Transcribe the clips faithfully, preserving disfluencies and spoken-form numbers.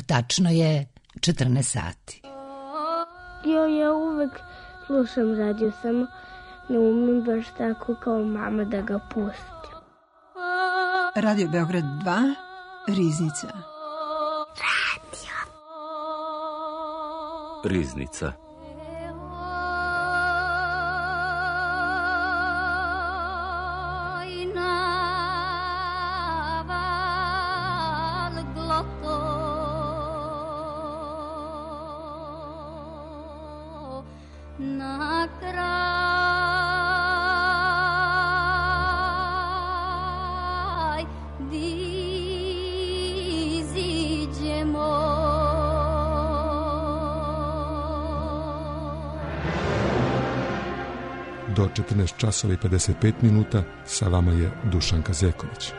Tačno je četrnaest sati. Jo, ja uvek slušam radio, samo ne umem baš tako kao mama da ga pustim. Radio Beograd dva, Riznica. Radio. Riznica. Do četrnaest časova i pedeset pet minuta sa vama je Dušanka Zeković.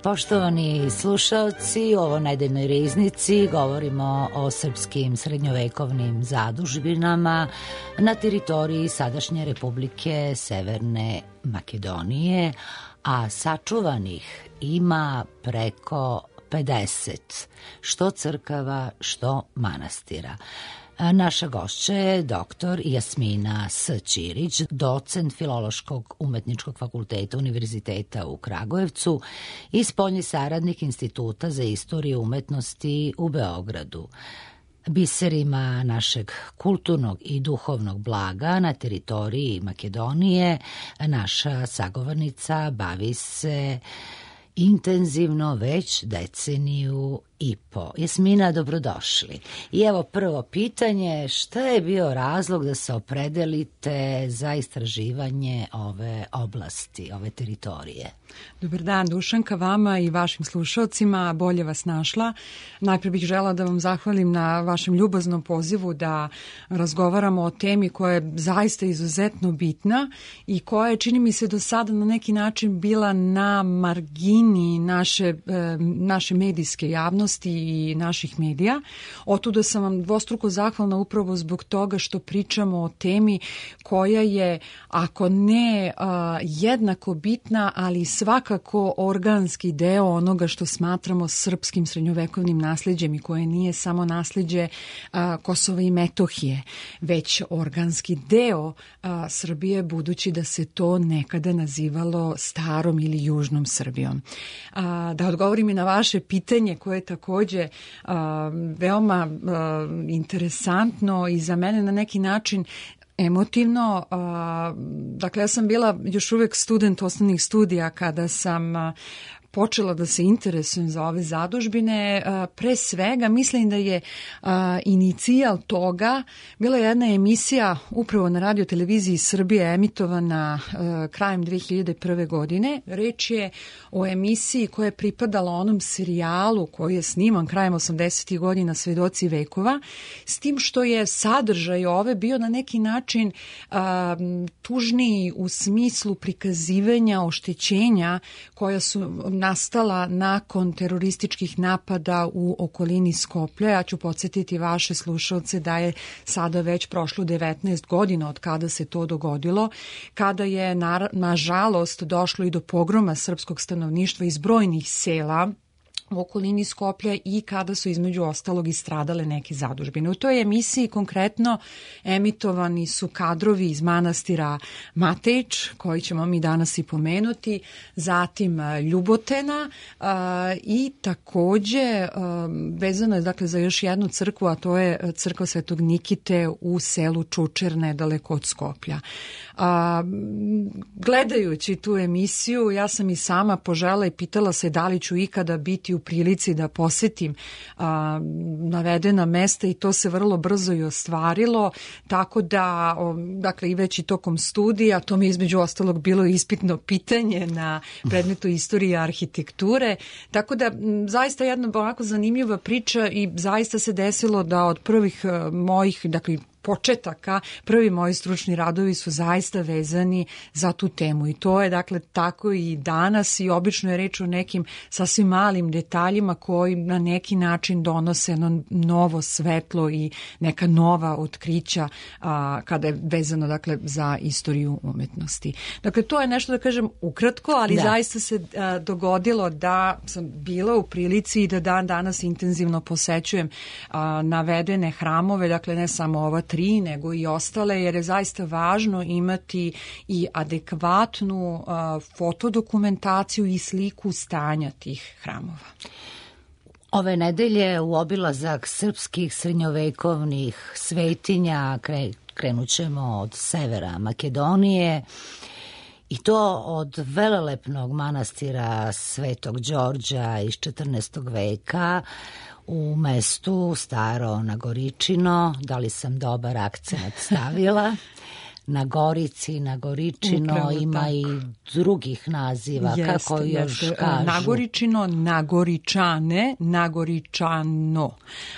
Poštovani slušalci, u ovoj nedeljnoj riznici govorimo o srpskim srednjovekovnim zadužbinama na teritoriji sadašnje Republike Severne Makedonije, a sačuvanih ima preko pedeset, što crkava, što manastira. Naša gošća je doktor Jasmina S. Ćirić, docent Filološkog umetničkog fakulteta Univerziteta u Kragujevcu i spoljni saradnik Instituta za istoriju umetnosti u Beogradu. Biserima našeg kulturnog i duhovnog blaga na teritoriji Makedonije naša sagovornica bavi se intenzivno već deceniju i po. Jasmina, dobrodošli. I evo prvo pitanje, šta je bio razlog da se opredelite za istraživanje ove oblasti, ove teritorije? Dobar dan, Dušanka, vama i vašim slušalcima, bolje vas našla. Najprije bih žela da vam zahvalim na vašem ljubaznom pozivu da razgovaramo o temi koja je zaista izuzetno bitna i koja je, čini mi se, do sada na neki način bila na margini naše, naše medijske javnosti i naših medija. Otuda sam vam dvostruko zahvalna upravo zbog toga što pričamo o temi koja je, ako ne a, jednako bitna, ali svakako organski deo onoga što smatramo srpskim srednjovekovnim nasleđem i koje nije samo nasleđe a, Kosova i Metohije, već organski deo a, Srbije, budući da se to nekada nazivalo starom ili južnom Srbijom. A, da odgovorim i na vaše pitanje koje je takođe a, veoma a, interesantno i za mene na neki način emotivno. A, dakle, ja sam bila još uvek student osnovnih studija kada sam a, počela da se interesujem za ove zadužbine. Pre svega mislim da je inicijal toga bila jedna emisija upravo na radio televiziji Srbije emitovana krajem dve hiljade prve. godine. Reč je o emisiji koja je pripadala onom serijalu koji je sniman krajem osamdesetih godina, Svedoci vekova, s tim što je sadržaj ove bio na neki način tužniji u smislu prikazivanja oštećenja koja su nastala nakon terorističkih napada u okolini Skoplja. Ja ću podsjetiti vaše slušalce da je sada već prošlo devetnaest godina od kada se to dogodilo, kada je na, nažalost došlo i do pogroma srpskog stanovništva iz brojnih sela u okolini Skoplja i kada su između ostalog i stradale neke zadužbine. U toj emisiji konkretno emitovani su kadrovi iz manastira Matejić, koji ćemo mi danas i pomenuti, zatim Ljubotena a, i takođe a, vezano je dakle za još jednu crkvu, a to je crkva Svetog Nikite u selu Čučer, nedaleko od Skoplja. A, gledajući tu emisiju, ja sam i sama požela i pitala se da li ću ikada biti u prilici da posetim a, navedena mesta i to se vrlo brzo i ostvarilo, tako da, o, dakle, i već i tokom studija, to mi je između ostalog bilo ispitno pitanje na predmetu istorije arhitekture, tako da m, zaista jedna ovako zanimljiva priča i zaista se desilo da od prvih mojih, dakle, početaka, prvi moji stručni radovi su zaista vezani za tu temu i to je dakle tako i danas i obično je reč o nekim sasvim malim detaljima koji na neki način donose no, novo svetlo i neka nova otkrića a, kada je vezano dakle za istoriju umetnosti. Dakle, to je nešto da kažem ukratko, ali da. Zaista se a, dogodilo da sam bila u prilici i da dan danas intenzivno posećujem a, navedene hramove, dakle ne samo ova tri, nego i ostale, jer je zaista važno imati i adekvatnu uh, fotodokumentaciju i sliku stanja tih hramova. Ove nedelje u obilazak srpskih srednjovekovnih svetinja kre, krenut ćemo od severa Makedonije i to od velelepnog manastira Svetog Đorđa iz četrnaestog veka u mestu Staro Nagoričino. Da li sam dobar akcent stavila? Na Gorici, na Goričino, upravo ima tako. I drugih naziva, jeste, kako još jeste. Kažu. Nagoričino, Nagoričane, Nagoričano.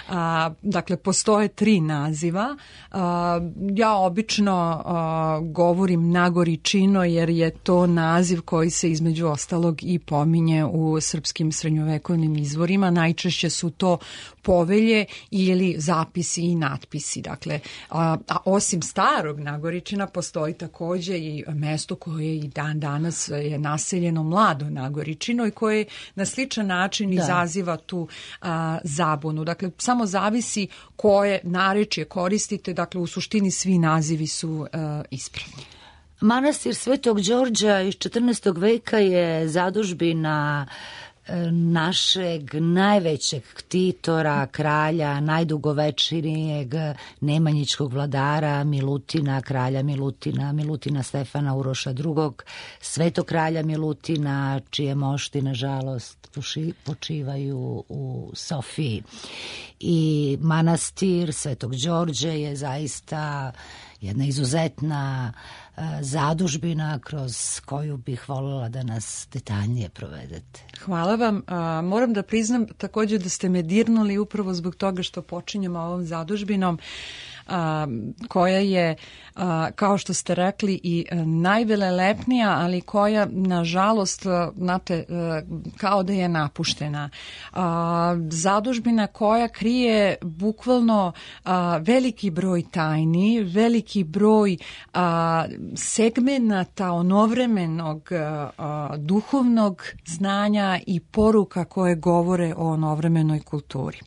A, dakle, postoje tri naziva. A, ja obično a, govorim Nagoričino jer je to naziv koji se između ostalog i pominje u srpskim srednjovekovnim izvorima. Najčešće su to povelje ili zapisi i natpisi. Dakle, a, a osim starog Nagoričina postoji takođe i mesto koje i dan danas je naseljeno mlado Nagoričino i koje na sličan način da. Izaziva tu a, zabunu. Dakle, samo zavisi koje narečje koristite, dakle u suštini svi nazivi su a, ispravni. Manastir Svetog Đorđa iz četrnaestog veka je zadužbina našeg najvećeg ktitora, kralja, najdugovečnijeg nemanjičkog vladara Milutina, kralja Milutina, Milutina Stefana Uroša drugog, svetog kralja Milutina, čije mošti, nažalost, počivaju u Sofiji. I manastir Svetog Đorđe je zaista jedna izuzetna zadužbina kroz koju bih voljela da nas detaljnije provedete. Hvala vam. A, moram da priznam također da ste me dirnuli upravo zbog toga što počinjemo ovom zadužbinom a, koja je, a, kao što ste rekli, i najvelelepnija, ali koja, nažalost, znate, kao da je napuštena. A, zadužbina koja krije bukvalno a, veliki broj tajni, veliki broj a, segmenata onovremenog a, duhovnog znanja i poruka koje govore o onovremenoj kulturi.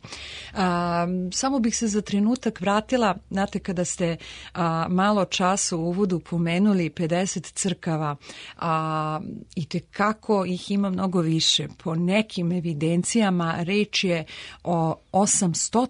A, samo bih se za trenutak vratila, znate, kada ste a, malo čas u uvodu pomenuli pedeset crkava, a, i tekako ih ima mnogo više. Po nekim evidencijama reč je o osamsto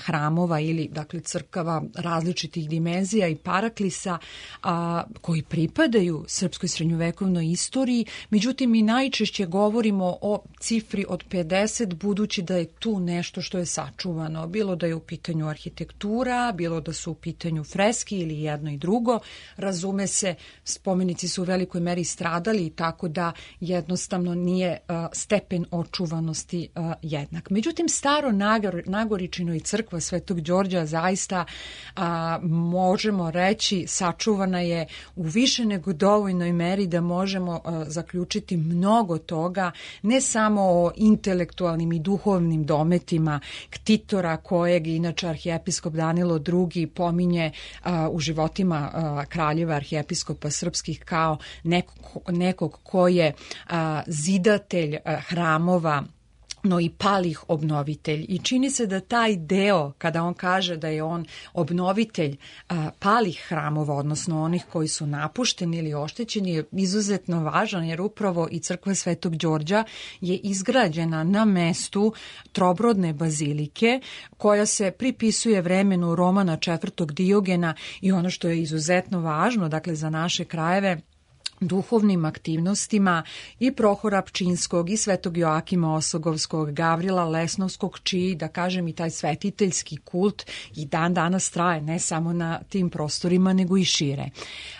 hramova ili, dakle, crkava različitih dimenzija i paraklisa a, koji pripadaju srpskoj srednjovekovnoj istoriji. Međutim, mi najčešće govorimo o cifri od pedeset, budući da je tu nešto što je sačuvano. Bilo da je u pitanju arhitektura, bilo da su u pitanju freski ili jedno i drugo. Razume se, spomenici su u velikoj meri stradali, tako da jednostavno nije uh, stepen očuvanosti uh, jednak. Međutim, staro Nagor, Nagoričino i crkva Svetog Đorđa zaista uh, možemo reći sačuvana je u više nego dovoljnoj meri da možemo uh, zaključiti mnogo toga, ne samo o intelektualnim i duhovnim dometima ktitora kojeg inače arhijepiskop Danilo drugi pominje uh, u životima uh, kraljeva arhijepiskopa srpskih kao nekog, nekog ko je uh, zidatelj uh, hramova, no i palih obnovitelj. I čini se da taj deo, kada on kaže da je on obnovitelj a, palih hramova, odnosno onih koji su napušteni ili oštećeni, je izuzetno važan, jer upravo i crkva Svetog Đorđa je izgrađena na mestu trobrodne bazilike, koja se pripisuje vremenu Romana četvrtog Diogena, i ono što je izuzetno važno, dakle, za naše krajeve, duhovnim aktivnostima i Prohora Pčinskog i Svetog Joakima Osogovskog, Gavrila Lesnovskog, čiji, da kažem, i taj svetiteljski kult i dan danas traje, ne samo na tim prostorima, nego i šire.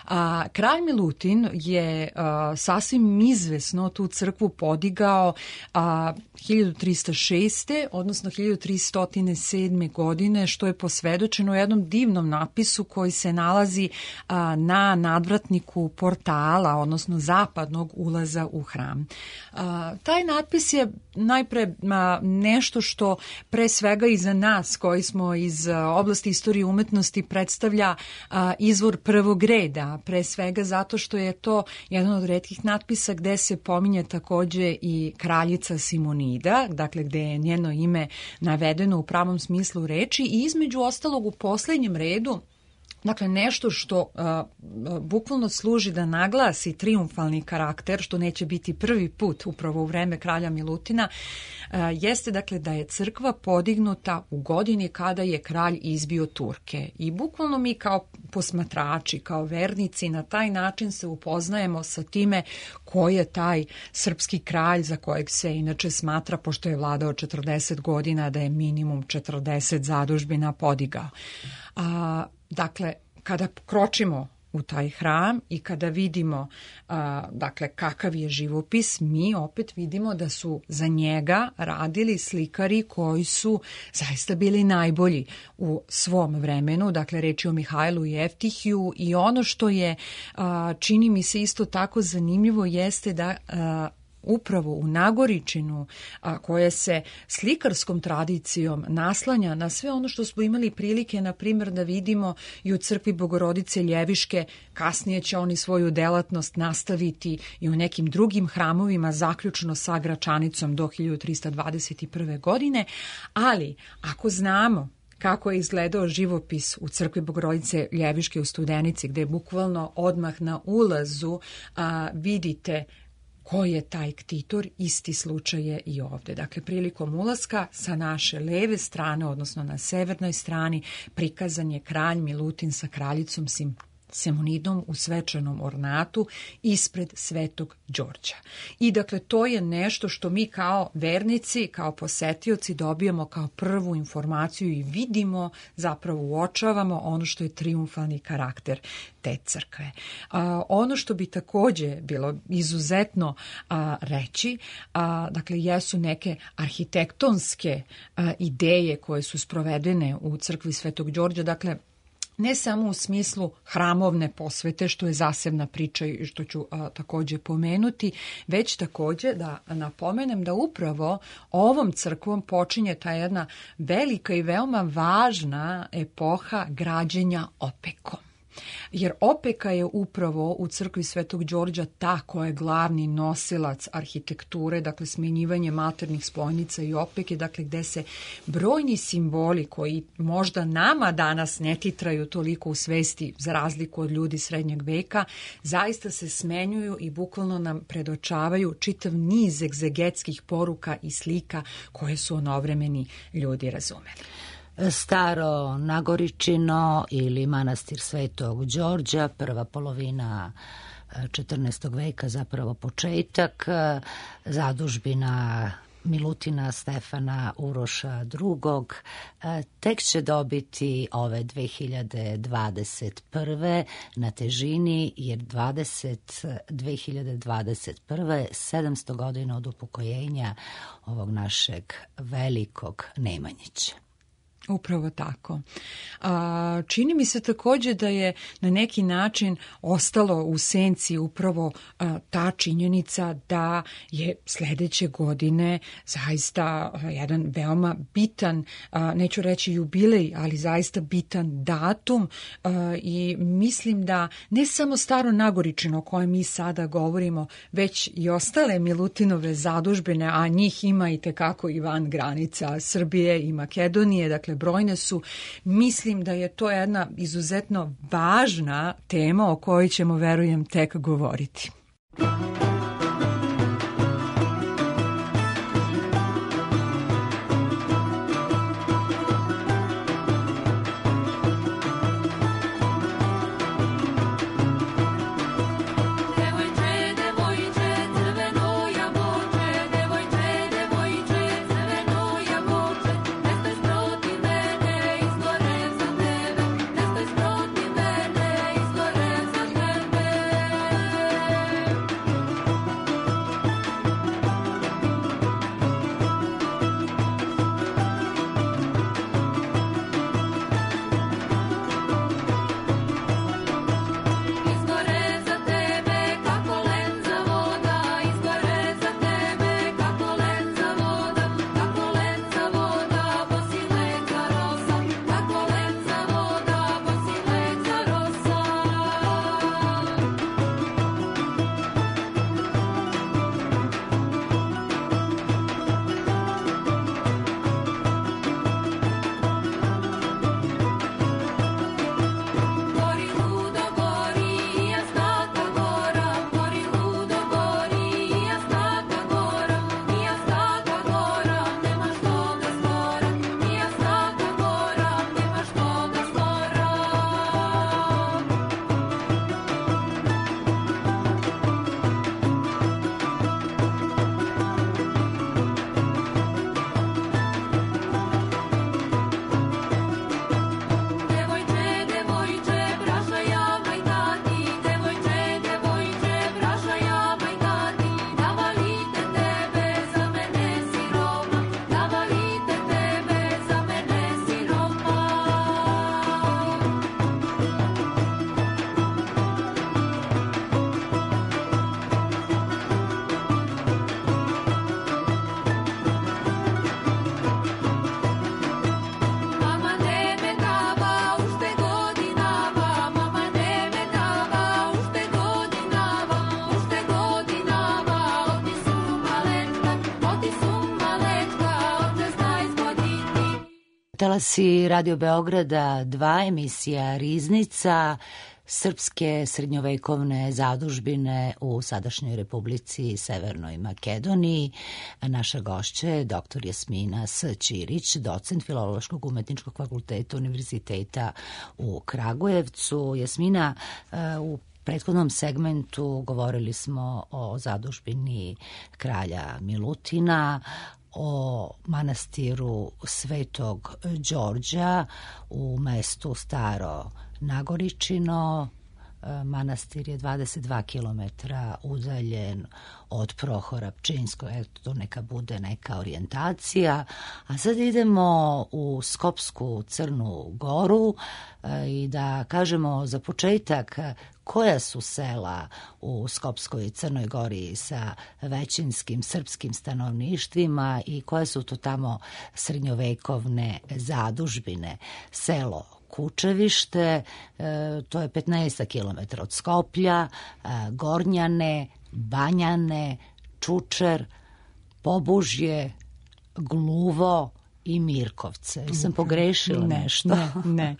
A, kralj Milutin je a, sasvim izvesno tu crkvu podigao a, hiljadu trista šeste. odnosno hiljadu tristo sedme. godine, što je posvedočeno u jednom divnom napisu koji se nalazi a, na nadvratniku portala, odnosno zapadnog ulaza u hram. A, taj natpis je najpre a, nešto što pre svega i za nas koji smo iz a, oblasti istorije umetnosti predstavlja a, izvor prvog reda, pre svega zato što je to jedan od retkih natpisa gde se pominje takođe i kraljica Simonida, dakle gde je njeno ime navedeno u pravom smislu reči i između ostalog u poslednjem redu. Dakle, nešto što uh, bukvalno služi da naglasi triumfalni karakter, što neće biti prvi put upravo u vreme kralja Milutina, uh, jeste dakle da je crkva podignuta u godini kada je kralj izbio Turke. I bukvalno mi kao posmatrači, kao vernici, na taj način se upoznajemo sa time ko je taj srpski kralj za kojeg se inače smatra, pošto je vladao četrdeset godina, da je minimum četrdeset zadužbina podigao. A, dakle, kada kročimo u taj hram i kada vidimo a, dakle, kakav je živopis, mi opet vidimo da su za njega radili slikari koji su zaista bili najbolji u svom vremenu. Dakle, reč je o Mihajlu Jeftihiju i ono što je, a, čini mi se isto tako zanimljivo, jeste da a, upravo u Nagoričinu, a koje se slikarskom tradicijom naslanja na sve ono što smo imali prilike, na primjer, da vidimo i u crkvi Bogorodice Ljeviške. Kasnije će oni svoju delatnost nastaviti i u nekim drugim hramovima, zaključno sa Gračanicom do hiljadu trista dvadeset prve. godine, ali ako znamo kako je izgledao živopis u crkvi Bogorodice Ljeviške u Studenici, gde bukvalno odmah na ulazu a, vidite ko je taj ktitor, isti slučaj je i ovde. Dakle, prilikom ulaska sa naše leve strane, odnosno na severnoj strani, prikazan je kralj Milutin sa kraljicom Sim Simonidom u svečanom ornatu ispred Svetog Đorđa. I dakle, to je nešto što mi kao vernici, kao posetioci dobijamo kao prvu informaciju i vidimo, zapravo uočavamo ono što je triumfalni karakter te crkve. A, ono što bi takođe bilo izuzetno a, reći, a, dakle, jesu neke arhitektonske a, ideje koje su sprovedene u crkvi Svetog Đorđa, dakle, ne samo u smislu hramovne posvete, što je zasebna priča i što ću a, takođe pomenuti, već takođe da napomenem da upravo ovom crkvom počinje ta jedna velika i veoma važna epoha građenja opekom. Jer opeka je upravo u crkvi Svetog Đorđa ta koja je glavni nosilac arhitekture, dakle smenjivanje malternih spojnica i opeke, dakle gde se brojni simboli koji možda nama danas ne titraju toliko u svesti za razliku od ljudi srednjeg veka, zaista se smenjuju i bukvalno nam predočavaju čitav niz egzegetskih poruka i slika koje su onovremeni ljudi razumeli. Staro Nagoričino ili manastir Svetog Đorđa, prva polovina četrnaestog veka, zapravo početak, zadužbina Milutina Stefana Uroša drugog. Tek će dobiti ove dve hiljade dvadeset prve na težini, jer dve hiljade dvadeset prve sedamsto godina od upokojenja ovog našeg velikog Nemanjića. Upravo tako. A, čini mi se takođe da je na neki način ostalo u senci upravo a, ta činjenica da je sledeće godine zaista a, jedan veoma bitan, a, neću reći jubilej, ali zaista bitan datum a, i mislim da ne samo Staro Nagoričino o kojem mi sada govorimo, već i ostale Milutinove zadužbine, a njih ima i tekako i van granica Srbije i Makedonije, dakle brojne su. Mislim da je to jedna izuzetno važna tema o kojoj ćemo, verujem, tek govoriti. There were Talasi Radio Beograda dva, emisija Riznica, srpske srednjovekovne zadužbine u sadašnjoj Republici Severnoj Makedoniji. Naša gošća je doktor Jasmina S. Ćirić, docent Filološkog umetničkog fakulteta Univerziteta u Kragujevcu. Jasmina, u prethodnom segmentu govorili smo o zadužbini kralja Milutina, o manastiru Svetog Đorđa u mestu Staro Nagoričino. Manastir je dvadeset dva kilometra udaljen od Prohora Pčinskog, eto to neka bude neka orijentacija. A sad idemo u Skopsku Crnu Goru i da kažemo za početak koja su sela u Skopskoj Crnoj Gori sa većinskim srpskim stanovništvima i koje su to tamo srednjovekovne zadužbine. Selo Kučevište, to je petnaest kilometara od Skoplja, Gornjane, Banjane, Čučer, Pobužje, Gluvo i Mirkovce. Sam pogrešila ne, nešto? Ne, ne.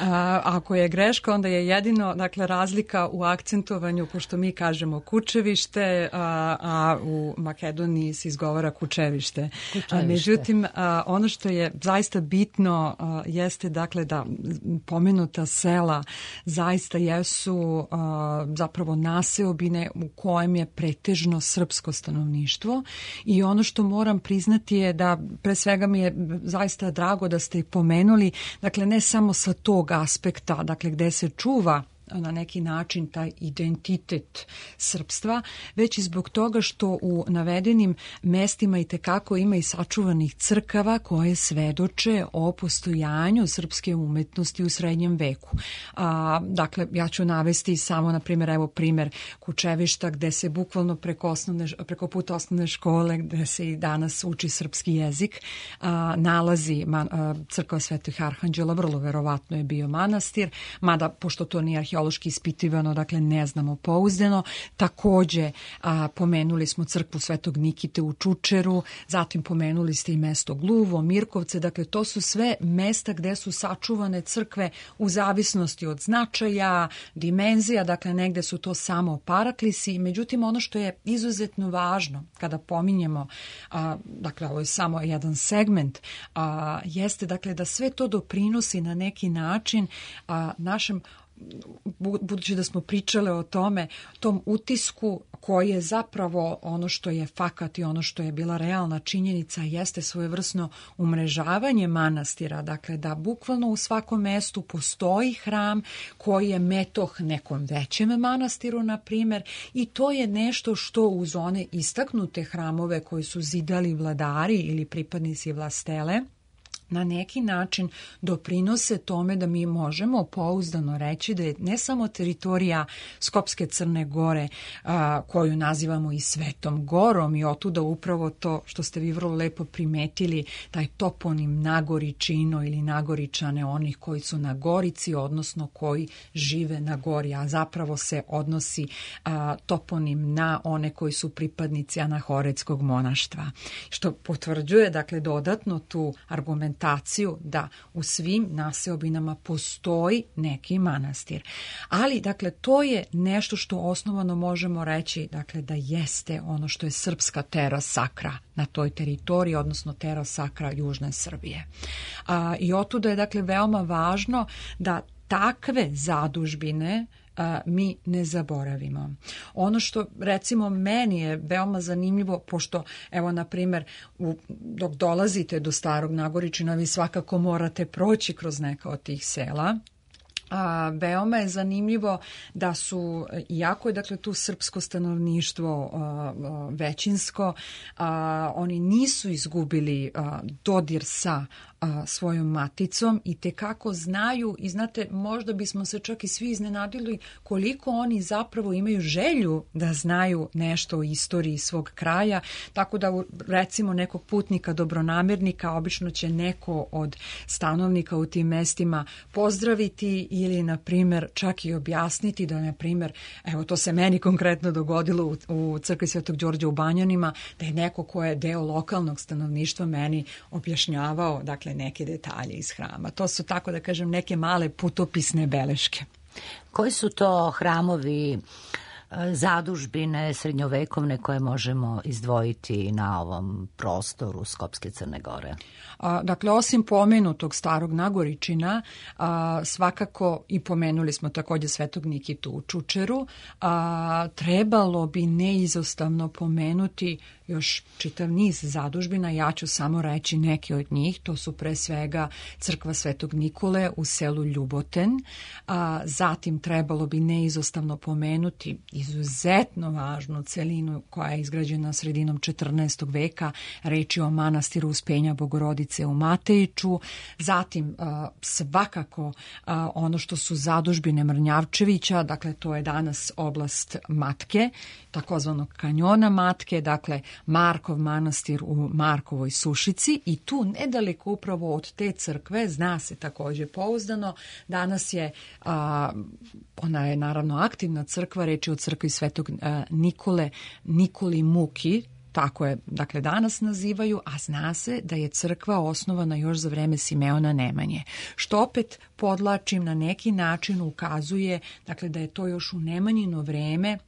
A, ako je greška, onda je jedino, dakle, razlika u akcentovanju, pošto mi kažemo Kučevište, a, a u Makedoniji se izgovara Kučevište. Kučevište. A, međutim, a, ono što je zaista bitno a, jeste, dakle, da pomenuta sela zaista jesu a, zapravo naseobine u kojem je pretežno srpsko stanovništvo i ono što moram priznati je da pre svega mi je zaista drago da ste i pomenuli, dakle ne samo sa tog aspekta, dakle gde se čuva na neki način taj identitet srpstva, već i zbog toga što u navedenim mestima i tekako ima i sačuvanih crkava koje svedoče o postojanju srpske umetnosti u srednjem veku. A, dakle, ja ću navesti samo, na primjer, evo primjer Kučevišta, gde se bukvalno preko, osnovne, preko puta osnovne škole, gde se i danas uči srpski jezik, a, nalazi man, a, crkva Svetih Arhanđela, vrlo verovatno je bio manastir, mada, pošto to nije arheološki ispitivano, dakle ne znamo pouzdano. Takođe a, pomenuli smo crkvu Svetog Nikite u Čučeru, zatim pomenuli ste i mesto Gluvo, Mirkovce, dakle to su sve mesta gde su sačuvane crkve u zavisnosti od značaja, dimenzija, dakle negde su to samo paraklisi. Međutim, ono što je izuzetno važno kada pominjemo, a, dakle ovo je samo jedan segment, a, jeste dakle da sve to doprinosi na neki način a, našem, budući da smo pričale o tome, tom utisku koji je zapravo ono što je fakat i ono što je bila realna činjenica, jeste svojevrsno umrežavanje manastira, dakle da bukvalno u svakom mestu postoji hram koji je metoh nekom većem manastiru, na primjer, i to je nešto što uz one istaknute hramove koji su zidali vladari ili pripadnici vlastele, na neki način doprinose tome da mi možemo pouzdano reći da je ne samo teritorija Skopske Crne Gore, a, koju nazivamo i Svetom Gorom, i otuda upravo to što ste vi vrlo lepo primetili, taj toponim Nagoričino ili Nagoričane, onih koji su na Gorici, odnosno koji žive na Gori, a zapravo se odnosi a, toponim na one koji su pripadnici Anahoretskog monaštva, što potvrđuje, dakle, dodatno tu argumentaciju da u svim naseobinama postoji neki manastir. Ali, dakle, to je nešto što osnovano možemo reći, dakle, da jeste ono što je srpska terra sacra na toj teritoriji, odnosno terra sacra južne Srbije. A, i otuda je, dakle, veoma važno da takve zadužbine a, mi ne zaboravimo. Ono što, recimo, meni je veoma zanimljivo, pošto, evo, na primjer, u, dok dolazite do Starog Nagoričina, vi svakako morate proći kroz neka od tih sela. A, veoma je zanimljivo da su, iako je, dakle, tu srpsko stanovništvo a, a, većinsko, a, oni nisu izgubili a, dodir sa a, svojom maticom i tekako znaju, i znate, možda bismo se čak i svi iznenadili koliko oni zapravo imaju želju da znaju nešto o istoriji svog kraja, tako da, recimo, nekog putnika dobronamernika obično će neko od stanovnika u tim mestima pozdraviti ili, na primjer, čak i objasniti da, na primjer, evo to se meni konkretno dogodilo u, u crkvi Svetog Đorđa u Banjanima, da je neko ko je deo lokalnog stanovništva meni objašnjavao, dakle, neke detalje iz hrama. To su, tako da kažem, neke male putopisne beleške. Koji su to hramovi, zadužbine srednjovekovne koje možemo izdvojiti na ovom prostoru Skopske Crne Gore? A, dakle, osim pomenutog starog Nagoričina, a, svakako i pomenuli smo također Svetog Nikitu u Čučeru, a, trebalo bi neizostavno pomenuti još čitav niz zadužbina. Ja ću samo reći neke od njih. To su pre svega crkva Svetog Nikole u selu Ljuboten. A, zatim trebalo bi neizostavno pomenuti izuzetno važnu celinu koja je izgrađena sredinom četrnaestog veka, reč je o manastiru Uspenja Bogorodice u Matejiću. Zatim a, svakako a, ono što su zadužbine Mrnjavčevića, dakle to je danas oblast Matke, takozvanog kanjona Matke, dakle Markov manastir u Markovoj Sušici, i tu nedaleko upravo od te crkve, zna se također pouzdano, danas je, a, ona je naravno aktivna crkva, reč je o crkvi Svetog a, Nikole, Nikoli Muki, tako je, dakle, danas nazivaju, a zna se da je crkva osnovana još za vreme Simeona Nemanje, što opet podlačim na neki način ukazuje, dakle, da je to još u Nemanjino vreme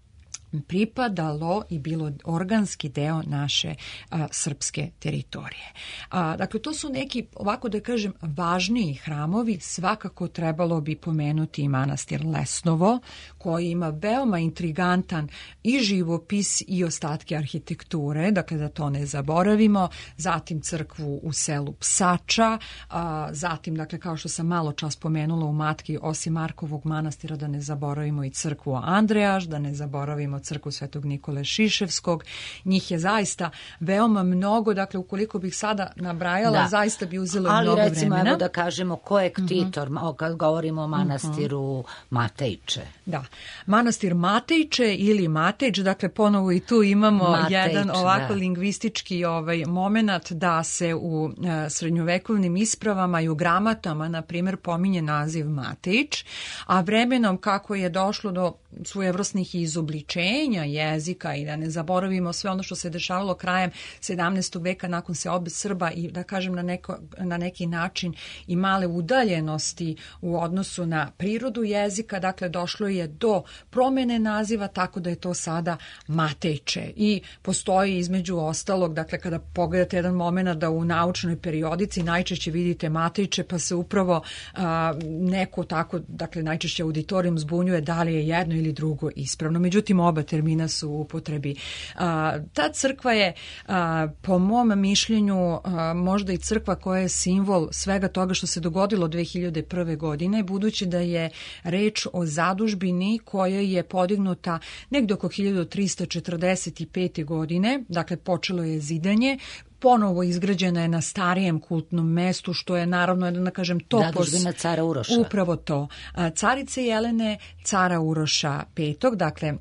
pripadalo i bilo organski deo naše a, srpske teritorije. A, dakle, to su neki, ovako da kažem, važniji hramovi. Svakako trebalo bi pomenuti i manastir Lesnovo, koji ima veoma intrigantan i živopis i ostatke arhitekture, dakle da to ne zaboravimo. Zatim crkvu u selu Psača, a, zatim, dakle, kao što sam malo čas pomenula u Matki, osim Markovog manastira, da ne zaboravimo i crkvu Andrejaš, da ne zaboravimo crkvu Svetog Nikole Šiševskog. Njih je zaista veoma mnogo, dakle ukoliko bih sada nabrajala, da, zaista bi uzelo mnogo vremena. Ali recimo, evo da kažemo ko je ktitor, uh-huh. kad govorimo o manastiru uh-huh. Matejče. Da, manastir Matejče ili Matejč, dakle ponovo i tu imamo Matejč, jedan ovako da. lingvistički ovaj moment da se u uh, srednjovekovnim ispravama i u gramatama, na primjer, pominje naziv Matejč, a vremenom kako je došlo do svojevrsnih izobličenja jezika i da ne zaboravimo sve ono što se dešavalo krajem sedamnaestog veka nakon seobe Srba i da kažem na, neko, na neki način i male udaljenosti u odnosu na prirodu jezika, dakle došlo je do promene naziva tako da je to sada Matejče i postoji između ostalog, dakle kada pogledate jedan moment da u naučnoj periodici najčešće vidite Matejče pa se upravo a, neko tako, dakle najčešće auditorijum zbunjuje da li je jedno ili drugo ispravno. Međutim, oba termina su u upotrebi. A, ta crkva je, a, po mom mišljenju, a, možda i crkva koja je simbol svega toga što se dogodilo dve hiljade prve. godine, budući da je reč o zadužbini koja je podignuta negdje oko hiljadu trista četrdeset pete. godine, dakle počelo je zidanje, ponovo izgrađena je na starijem kultnom mestu, što je naravno, da kažem, topos. Zadužbina cara Uroša. Upravo to. Carice Jelene, cara Uroša petog, dakle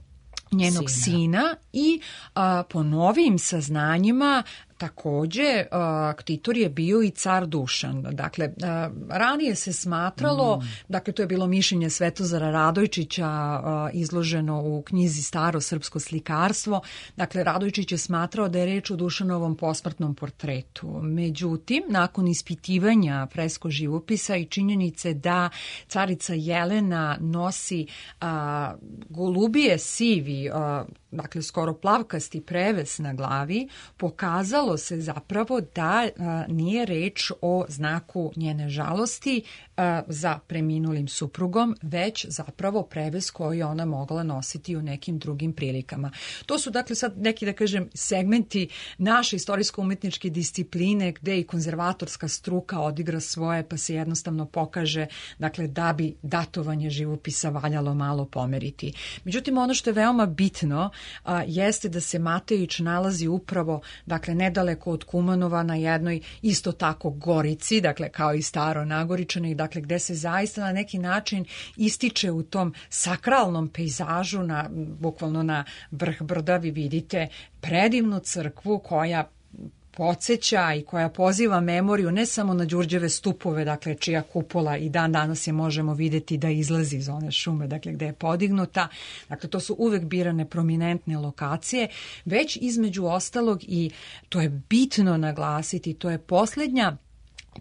njenog sina, sina i a, po novim saznanjima također ktitor je bio i car Dušan. Dakle, ranije se smatralo, mm. dakle to je bilo mišljenje Svetozara Radojčića izloženo u knjizi Staro srpsko slikarstvo. Dakle, Radojčić je smatrao da je reč o Dušanovom posmrtnom portretu. Međutim, nakon ispitivanja fresko živopisa i činjenice da carica Jelena nosi a, golubije sivi, a, dakle skoro plavkasti preves na glavi, pokazalo se zapravo da a, nije reč o znaku njene žalosti a, za preminulim suprugom, već zapravo preves koji je ona mogla nositi u nekim drugim prilikama. To su dakle sad neki, da kažem, segmenti naše istorijsko-umetničke discipline gde i konzervatorska struka odigra svoje, pa se jednostavno pokaže, dakle, da bi datovanje živopisa valjalo malo pomeriti. Međutim, ono što je veoma bitno a, jeste da se Matejić nalazi upravo, dakle, nedaleko od Kumanova na jednoj isto tako gorici, dakle, kao i Staro Nagoričane, dakle, gde se zaista na neki način ističe u tom sakralnom pejzažu, na, bukvalno na vrh brda vi vidite predivnu crkvu koja podsjeća i koja poziva memoriju ne samo na Đurđeve stupove, dakle čija kupola i dan danas je možemo vidjeti da izlazi iz one šume, dakle gde je podignuta. Dakle, to su uvek birane prominentne lokacije, već između ostalog, i to je bitno naglasiti, to je posljednja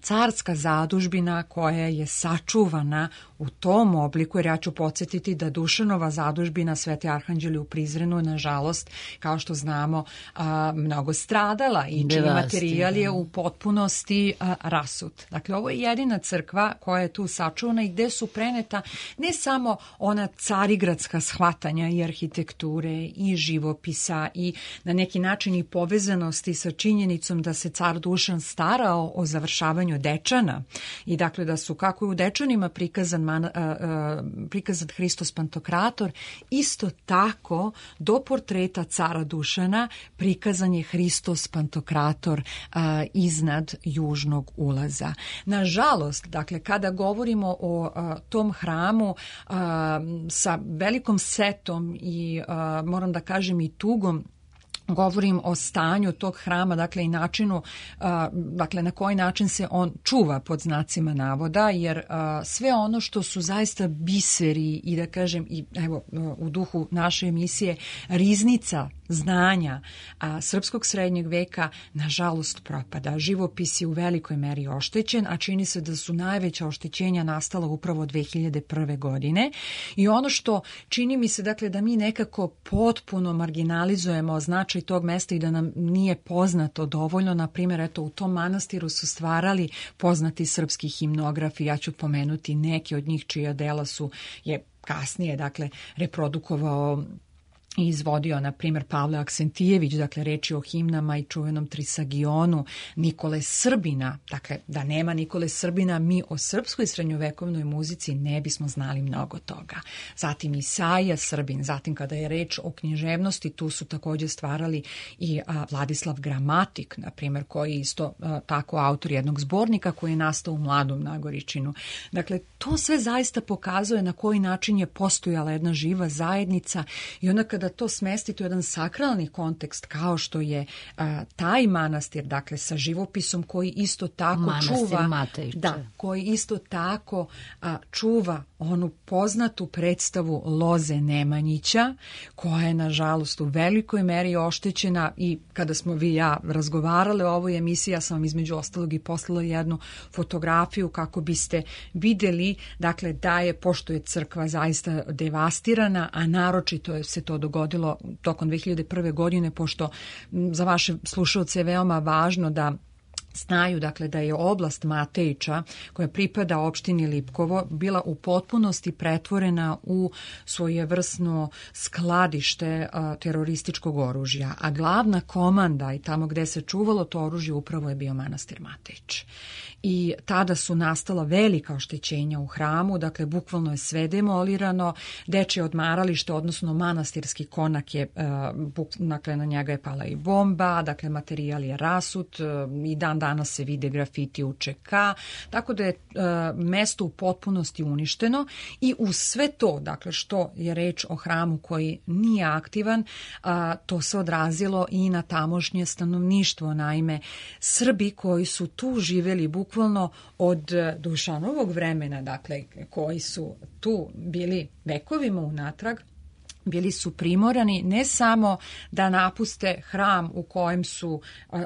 carska zadužbina koja je sačuvana u tom obliku, jer ja ću podsjetiti da Dušanova zadužbina Sveti Arhanđeli u Prizrenu, nažalost, kao što znamo, a, mnogo stradala i čiji materijal je u potpunosti a, rasut. Dakle, ovo je jedina crkva koja je tu sačuvana i gde su preneta ne samo ona carigradska shvatanja i arhitekture i živopisa i na neki način i povezanosti sa činjenicom da se car Dušan starao o završavanju Dečana i dakle da su kako je u Dečanima prikazan, man, a, a, prikazan Hristos Pantokrator, isto tako do portreta cara Dušana prikazan je Hristos Pantokrator a, iznad južnog ulaza. Nažalost, dakle, kada govorimo o a, tom hramu a, sa velikom setom i a, moram da kažem i tugom, govorim o stanju tog hrama, dakle i načinu, a, dakle na koji način se on čuva pod znacima navoda, jer a, sve ono što su zaista biseri i da kažem i evo u duhu naše emisije riznica znanja a, srpskog srednjeg veka nažalost propada. Živopis je u velikoj meri oštećen, a čini se da su najveća oštećenja nastala upravo dve hiljade prve. godine i ono što čini mi se dakle da mi nekako potpuno marginalizujemo značaj tog mesta i da nam nije poznato dovoljno. Na primjer, eto, u tom manastiru su stvarali poznati srpski himnografi, ja ću pomenuti neke od njih čija dela su je kasnije, dakle, reprodukovao i izvodio, na primjer, Pavle Aksentijević, dakle, reči o himnama i čuvenom Trisagionu, Nikole Srbina. Dakle, da nema Nikole Srbina, mi o srpskoj srednjovekovnoj muzici ne bismo znali mnogo toga. Zatim Isaija Srbin, zatim kada je reč o književnosti, tu su također stvarali i a, Vladislav Gramatik, na primjer, koji je isto a, tako autor jednog zbornika koji je nastao u Mladom Nagoričinu. Dakle, to sve zaista pokazuje na koji način je postojala jedna živa zajednica i onda kada to smestiti u jedan sakralni kontekst kao što je a, taj manastir, dakle sa živopisom koji isto tako manastir čuva, Matejče. Da, koji isto tako a, čuva onu poznatu predstavu Loze Nemanjića, koja je nažalost u velikoj meri oštećena i kada smo vi i ja razgovarale o ovoj emisiji, ja sam vam između ostalog i poslala jednu fotografiju kako biste vidjeli, dakle, da je, pošto je crkva zaista devastirana, a naročito je se to dogodilo tokom dve hiljade prve. godine, pošto za vaše slušalce je veoma važno da znaju, dakle, da je oblast Matejića, koja pripada opštini Lipkovo, bila u potpunosti pretvorena u svojevrsno skladište a, terorističkog oružja, a glavna komanda i tamo gde se čuvalo to oružje upravo je bio manastir Matejić. I tada su nastala velika oštećenja u hramu, dakle, bukvalno je sve demolirano, dečje odmaralište, odnosno manastirski konak je, a, buk, dakle, na njega je pala i bomba, dakle, materijal je rasut a, i dan danas se vide grafiti U Č K, tako da je a, mesto u potpunosti uništeno i uz sve to, dakle, što je reč o hramu koji nije aktivan, a, to se odrazilo i na tamošnje stanovništvo. Naime, Srbi koji su tu živjeli bukvalno od Dušanovog vremena, dakle, koji su tu bili vekovima unatrag, bili su primorani ne samo da napuste hram u kojem su,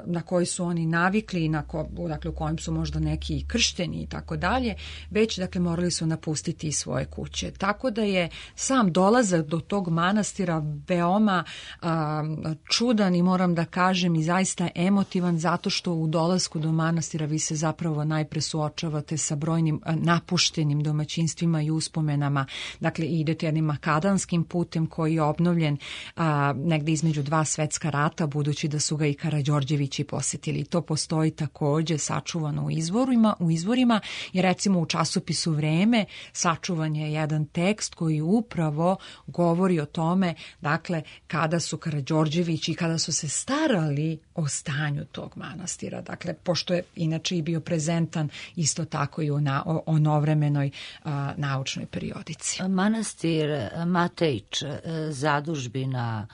na koji su oni navikli, na ko, dakle, u kojem su možda neki kršteni i tako dalje, već, dakle, morali su napustiti i svoje kuće. Tako da je sam dolazak do tog manastira veoma a, čudan i moram da kažem i zaista emotivan, zato što u dolasku do manastira vi se zapravo najpre suočavate sa brojnim a, napuštenim domaćinstvima i uspomenama. Dakle, idete jednim makadanskim putem koji je obnovljen a, negde između dva svetska rata, budući da su ga i Karađorđevići posjetili. To postoji također sačuvano u izvorima, u izvorima, jer recimo u časopisu Vreme sačuvan je jedan tekst koji upravo govori o tome, dakle, kada su Karađorđevići i kada su se starali o stanju tog manastira. Dakle, pošto je inače i bio prezentan isto tako i u na, o, o novremenoj a, naučnoj periodici. Manastir Matejić, zadužbina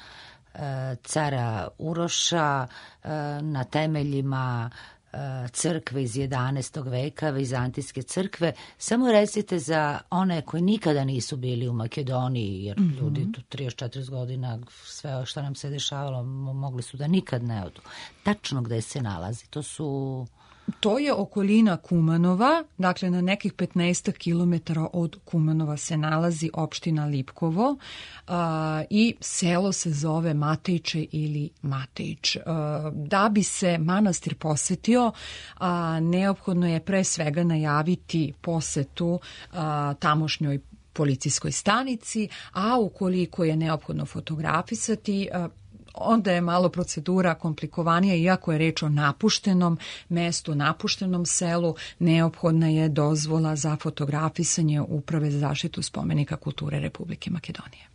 cara Uroša na temeljima crkve iz jedanaestog veka, vizantijske crkve. Samo recite za one koji nikada nisu bili u Makedoniji, jer mm-hmm. ljudi tu trideset četrdeset godina, sve što nam se dešavalo, mogli su da nikad ne odu. Tačno gde se nalazi? To su... To je okolina Kumanova, dakle na nekih petnaest kilometara od Kumanova se nalazi opština Lipkovo a, i selo se zove Matejče ili Matejić. A, da bi se manastir posvetio, a, neophodno je pre svega najaviti posetu a, tamošnjoj policijskoj stanici, a ukoliko je neophodno fotografisati, a, onda je malo procedura komplikovanija, iako je reč o napuštenom mestu, napuštenom selu, neophodna je dozvola za fotografisanje Uprave za zaštitu spomenika kulture Republike Makedonije.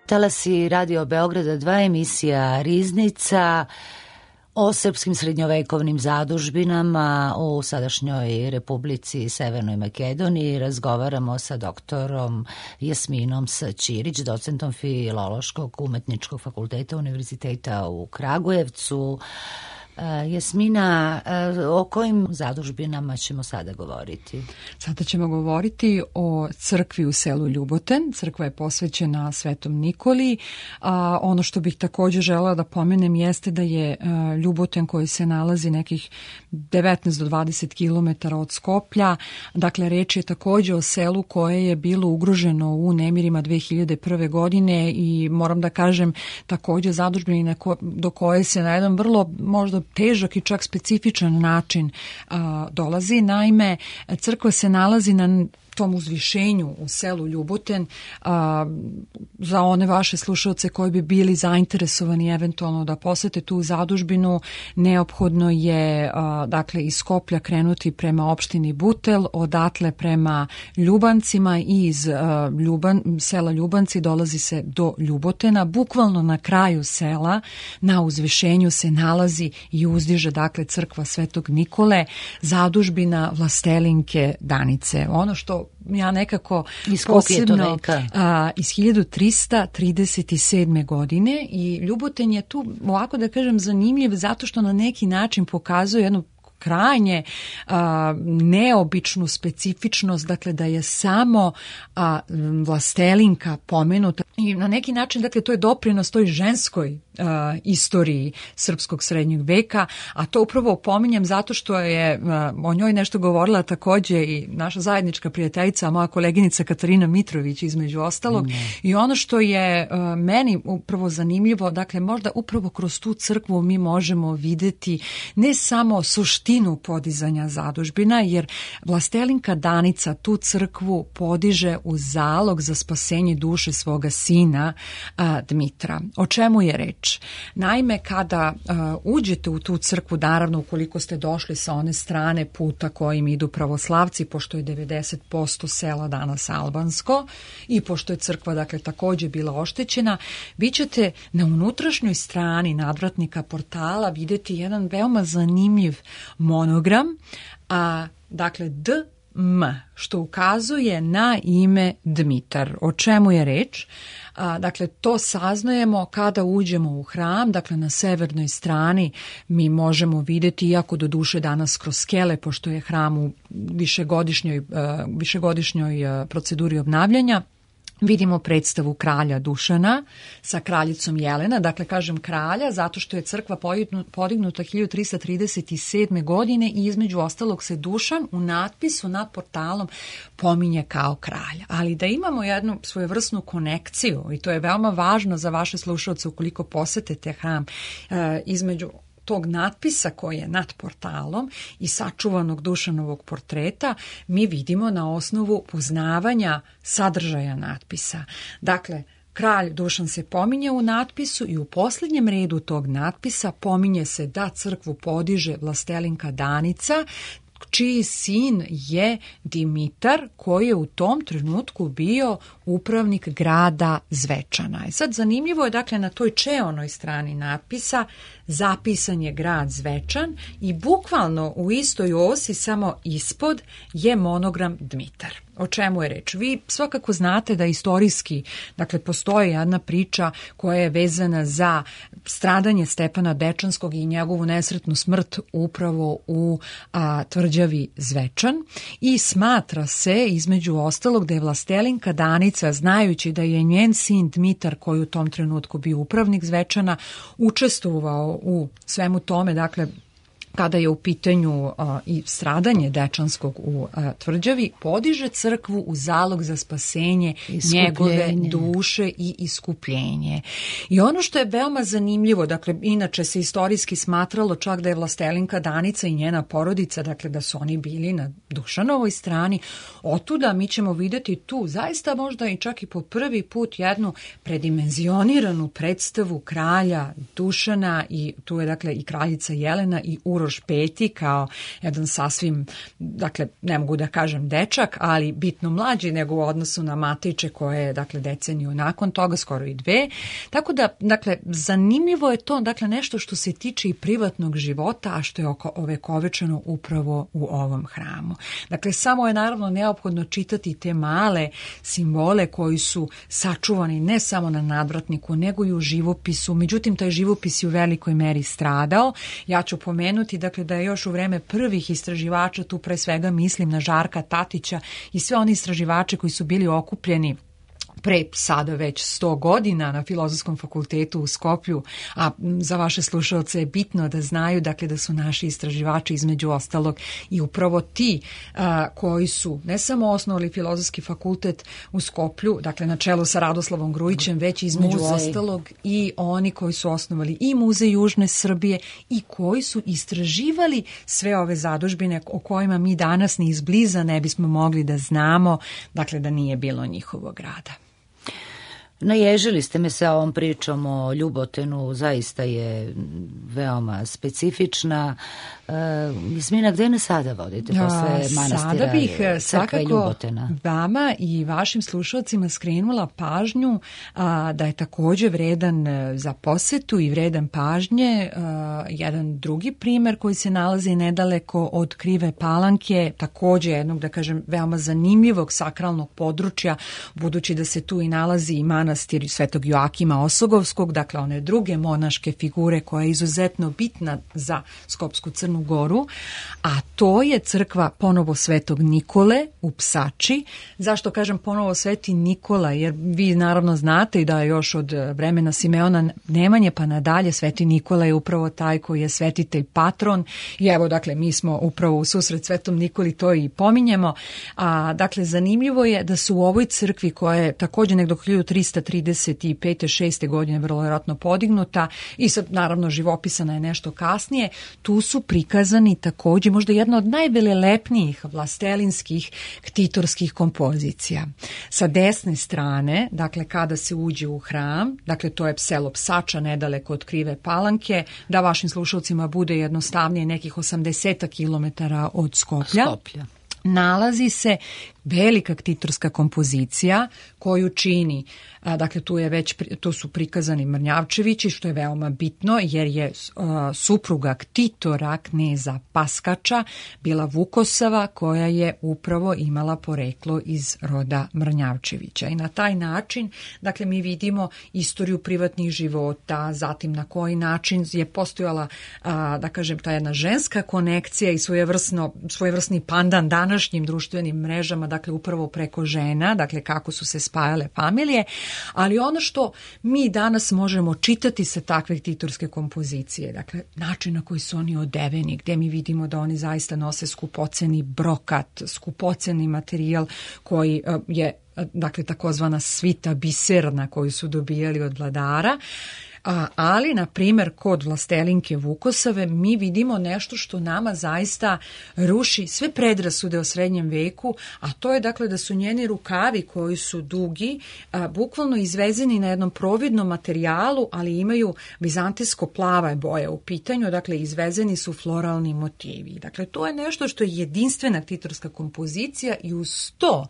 Talasi Radio Beograda dva, emisija Riznica o srpskim srednjovekovnim zadužbinama u sadašnjoj Republici Severnoj Makedoniji. Razgovaramo sa doktorom Jasminom S. Ćirić, docentom Filološkog umetničkog fakulteta Univerziteta u Kragujevcu. Jasmina, o kojim zadužbinama ćemo sada govoriti? Sada ćemo govoriti o crkvi u selu Ljuboten. Crkva je posvećena Svetom Nikoli. A ono što bih također želela da pomenem jeste da je Ljuboten, koji se nalazi nekih devetnaest do dvadeset kilometara od Skoplja, dakle reč je također o selu koje je bilo ugroženo u nemirima dve hiljade prve. godine i moram da kažem također zadužbina do koje se na jedan vrlo možda težak i čak specifičan način a, dolazi. Naime, crkva se nalazi na tom uzvišenju u selu Ljuboten. A, za one vaše slušalce koji bi bili zainteresovani eventualno da posete tu zadužbinu, neophodno je a, dakle iz Skoplja krenuti prema opštini Butel, odatle prema Ljubancima i iz a, Ljuban, sela Ljubanci dolazi se do Ljubotena. Bukvalno na kraju sela, na uzvišenju se nalazi i uzdiže dakle crkva Svetog Nikole, zadužbina Vlastelinke Danice. Ono što što ja nekako iz posebno veka? A, iz hiljadu trista trideset sedme. godine i Ljuboten je tu, ovako da kažem, zanimljiv zato što na neki način pokazuje jednu krajnje a, neobičnu specifičnost, dakle da je samo a, vlastelinka pomenuta i na neki način, dakle, to je doprinos toj ženskoj a, istoriji srpskog srednjeg veka, a to upravo pominjem zato što je a, o njoj nešto govorila takođe i naša zajednička prijateljica, moja koleginica Katarina Mitrović između ostalog. Mm. I ono što je a, meni upravo zanimljivo, dakle možda upravo kroz tu crkvu mi možemo videti ne samo suštinu podizanja zadužbina, jer vlastelinka Danica tu crkvu podiže u zalog za spasenje duše svoga sina a, Dmitra. O čemu je reč? Naime, kada a, uđete u tu crkvu, naravno ukoliko ste došli sa one strane puta kojim idu pravoslavci, pošto je devedeset posto sela danas albansko i pošto je crkva, dakle, takođe bila oštećena, vi ćete na unutrašnjoj strani nadvratnika portala videti jedan veoma zanimljiv monogram, a dakle D M, što ukazuje na ime Dmitar. O čemu je reč? A, dakle, to saznajemo kada uđemo u hram, dakle na severnoj strani mi možemo vidjeti, iako do duše danas kroz skele, pošto je hram u višegodišnjoj, uh, višegodišnjoj uh, proceduri obnavljanja, vidimo predstavu kralja Dušana sa kraljicom Jelena, dakle kažem kralja zato što je crkva podignuta hiljadu trista trideset sedme. godine i između ostalog se Dušan u natpisu nad portalom pominje kao kralj. Ali da imamo jednu svojevrsnu konekciju, i to je veoma važno za vaše slušalce ukoliko posetite hram, e, između tog natpisa koji je nad portalom i sačuvanog Dušanovog portreta, mi vidimo na osnovu poznavanja sadržaja natpisa. Dakle, kralj Dušan se pominje u natpisu i u posljednjem redu tog natpisa pominje se da crkvu podiže vlastelinka Danica, čiji sin je Dimitar, koji je u tom trenutku bio upravnik grada Zvečana. I sad zanimljivo je, dakle, na toj čeonoj strani natpisa zapisan je grad Zvečan i bukvalno u istoj osi, samo ispod, je monogram Dmitar. O čemu je reč? Vi svakako znate da istorijski, dakle, postoji jedna priča koja je vezana za stradanje Stepana Dečanskog i njegovu nesretnu smrt upravo u a, tvrđavi Zvečan i smatra se, između ostalog, da je vlastelinka Danica, znajući da je njen sin Dmitar, koji u tom trenutku bio upravnik Zvečana, učestvovao u svemu tome, dakle, kada je u pitanju uh, i stradanje Dečanskog u uh, tvrđavi, podiže crkvu u zalog za spasenje njegove duše i iskupljenje. I ono što je veoma zanimljivo, dakle, inače se istorijski smatralo čak da je vlastelinka Danica i njena porodica, dakle, da su oni bili na Dušanovoj strani, otuda mi ćemo vidjeti tu zaista možda i čak i po prvi put jednu predimenzioniranu predstavu kralja Dušana i tu je, dakle, i kraljica Jelena i Uroš Peti kao jedan sasvim, dakle, ne mogu da kažem dečak, ali bitno mlađi nego u odnosu na Matiće koje je, dakle, deceniju nakon toga, skoro i dve. Tako da, dakle, zanimljivo je to, dakle, nešto što se tiče i privatnog života, a što je ovekovečeno upravo u ovom hramu. Dakle, samo je naravno neophodno čitati te male simbole koji su sačuvani ne samo na nadvratniku, nego i u živopisu. Međutim, taj živopis je u velikoj meri stradao. Ja ću pomenuti, dakle, da je još u vreme prvih istraživača, tu pre svega mislim na Žarka Tatića i sve oni istraživače koji su bili okupljeni pre sada već sto godina na Filozofskom fakultetu u Skoplju, a za vaše slušalce je bitno da znaju, dakle, da su naši istraživači između ostalog i upravo ti a, koji su ne samo osnovali Filozofski fakultet u Skoplju, dakle na čelu sa Radoslavom Grujićem, već između Muzej. ostalog i oni koji su osnovali i Muzej Južne Srbije i koji su istraživali sve ove zadužbine o kojima mi danas ni izbliza ne bismo mogli da znamo, dakle, da nije bilo njihovog rada. Naježili ste me sa ovom pričom o Ljubotenu, zaista je veoma specifična. Uh, Jasmina, gde ne sada vodite posle manastira sada bih crkve Ljubotena? Vama i vašim slušalcima skrenula pažnju a, da je takođe vredan za posetu i vredan pažnje a, jedan drugi primer koji se nalazi nedaleko od Krive Palanke, takođe jednog, da kažem, veoma zanimljivog sakralnog područja, budući da se tu i nalazi i manastir Svetog Joakima Osogovskog, dakle one druge monaške figure koja je izuzetno bitna za Skopsku Crnu Goru, a to je crkva ponovo Svetog Nikole u Psači. Zašto kažem ponovo Sveti Nikola? Jer vi naravno znate i da je još od vremena Simeona Nemanje pa nadalje Sveti Nikola je upravo taj koji je svetitelj patron i evo dakle mi smo upravo u susret Svetom Nikoli to i pominjemo. A, dakle zanimljivo je da su u ovoj crkvi koja je također nekdo hiljadu trista trideset pete šeste godine vrlo vjerojatno podignuta i sad naravno živopisana je nešto kasnije, tu su prikazani također možda jedna od najvelelepnijih vlastelinskih ktitorskih kompozicija. Sa desne strane, dakle kada se uđe u hram, dakle to je selo Psača nedaleko od Krive Palanke, da vašim slušalcima bude jednostavnije nekih osamdeset kilometara od Skoplja. Skoplja. Nalazi se velika ktitorska kompozicija koju čini, a, dakle tu je već tu su prikazani Mrnjavčevići, što je veoma bitno jer je a, supruga ktitora kneza Paskača bila Vukosava koja je upravo imala poreklo iz roda Mrnjavčevića i na taj način dakle mi vidimo istoriju privatnih života, zatim na koji način je postojala a, da kažem ta jedna ženska konekcija i svojevrsno, svojevrsni pandan današnjim društvenim mrežama, dakle upravo preko žena, dakle kako su se spajale familije, ali ono što mi danas možemo čitati sa takve ktitorske kompozicije, dakle način na koji su oni odeveni, gde mi vidimo da oni zaista nose skupoceni brokat, skupoceni materijal koji je dakle takozvana svita biserna koju su dobijali od vladara. A, ali, na primjer, kod vlastelinke Vukosave mi vidimo nešto što nama zaista ruši sve predrasude o srednjem veku, a to je dakle da su njeni rukavi koji su dugi, a, bukvalno izvezeni na jednom providnom materijalu, ali imaju vizantijsko plava boje u pitanju, dakle izvezeni su floralni motivi. Dakle, to je nešto što je jedinstvena ktitorska kompozicija i uz to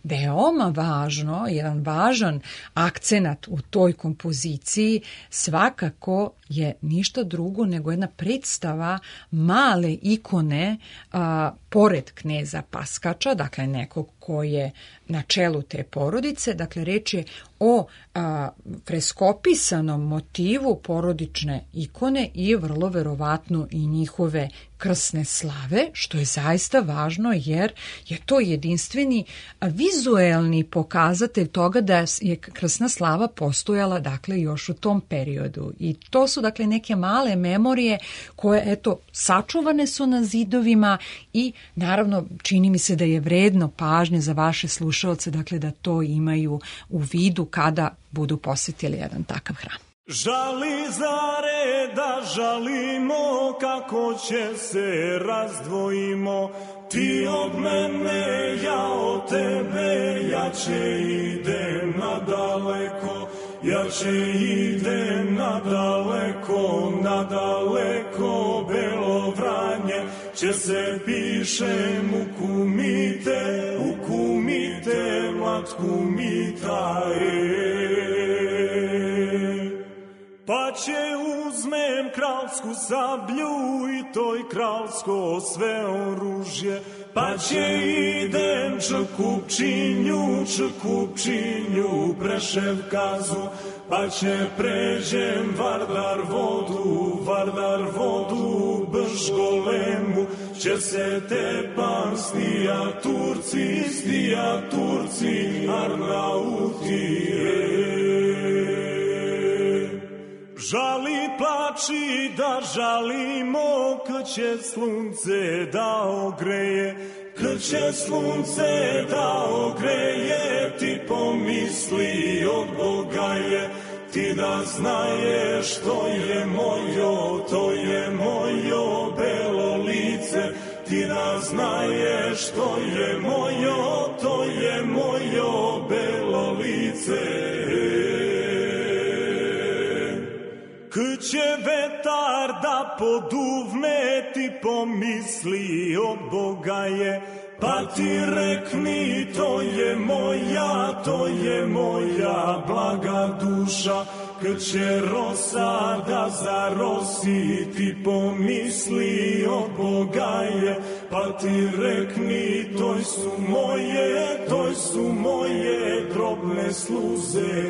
veoma važno, jedan važan akcenat u toj kompoziciji svakako je ništa drugo nego jedna predstava male ikone a, pored kneza Paskača, dakle nekog ko je na čelu te porodice, dakle reč je o a, freskopisanom motivu porodične ikone i vrlo verovatno i njihove krsne slave, što je zaista važno jer je to jedinstveni vizuelni pokazatelj toga da je krsna slava postojala dakle još u tom periodu. I to su dakle neke male memorije koje eto sačuvane su na zidovima i naravno čini mi se da je vredno pažnje za vaše slušaoce dakle da to imaju u vidu kada budu posjetili jedan takav hram. Žali zare da žalimo, kako će se razdvojimo, ti od mene, ja od tebe, jače idem nadaleko, jače idem nadaleko, nadaleko, Belo Vranje, će se pišem u kumite, u kumite, mlad kumita, pa će uzmem kralsku sablju i toj kralsko sve oružje, pa će idem Čekupčinju, Čekupčinju, Preševkazu, pa će pređem Vardar vodu, Vardar vodu, Brškolemu, će se tepam stija Turci, stija Turci, Arnautije. Žali plači da žalimo, kad će slunce da ogreje, kad će slunce da ogreje, ti pomisli od Boga je, ti da znaješ to je mojo, to je mojo belo lice, ti da znaješ to je mojo, to je mojo belo lice. da poduvne ti pomisli od Boga je, pa ti rekni to je moja, to je moja blaga duša, kad će rosa da zarosi ti pomisli od Boga je, pa ti rekni toj su moje, toj su moje drobne sluze.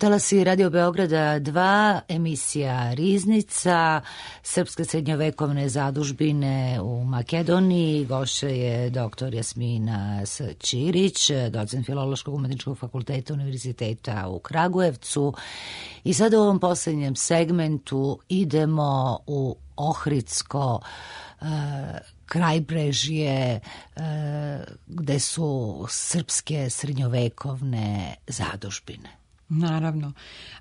Talasi Radio Beograda dva, emisija Riznica, srpske srednjovekovne zadužbine u Makedoniji. Gošća je doktor Jasmina S. Ćirić, docent Filološkog umetničkog fakulteta Univerziteta u Kragujevcu. I sad u ovom posljednjem segmentu idemo u Ohridsko uh, krajbrežje uh, gde su srpske srednjovekovne zadužbine. Naravno.